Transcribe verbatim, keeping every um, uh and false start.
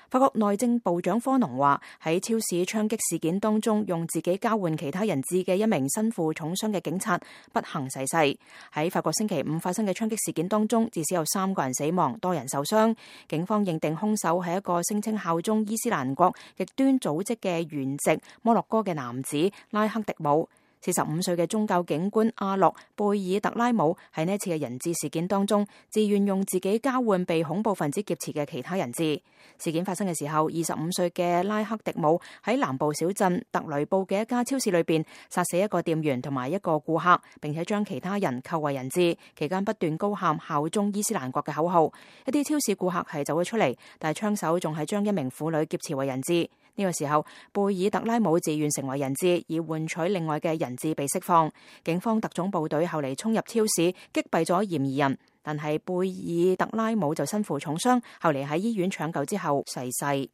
法國內政部長科農話，喺超市槍擊事件當中用自己交換其他人質嘅一名身負重傷嘅警察不幸逝世。喺法國星期五發生嘅槍擊事件當中，至少有三個人死亡，多人受傷。警方認定兇手係一個聲稱效忠伊斯蘭國極端組織嘅原籍摩洛哥嘅男子拉克迪姆。四十五歲嘅宗教警官阿洛貝爾特拉姆喺呢一次嘅人質事件當中，自願用自己交換被恐怖分子劫持嘅其他人質。事件發生嘅時候，二十五歲嘅拉克迪姆喺南部小鎮特雷布嘅一家超市裏邊殺死一個店員同埋一個顧客，並且將其他人扣為人質，期間不斷高喊效忠伊斯蘭國嘅口號。一啲超市顧客係走咗出嚟，但係槍手仲係將一名婦女劫持為人質。呢個時候，貝爾特拉姆自願成為人質，以換取另外嘅人質被釋放。警方特種部隊後嚟衝入超市，擊斃咗嫌疑人，但係貝爾特拉姆就身負重傷，後嚟喺醫院搶救之後逝世。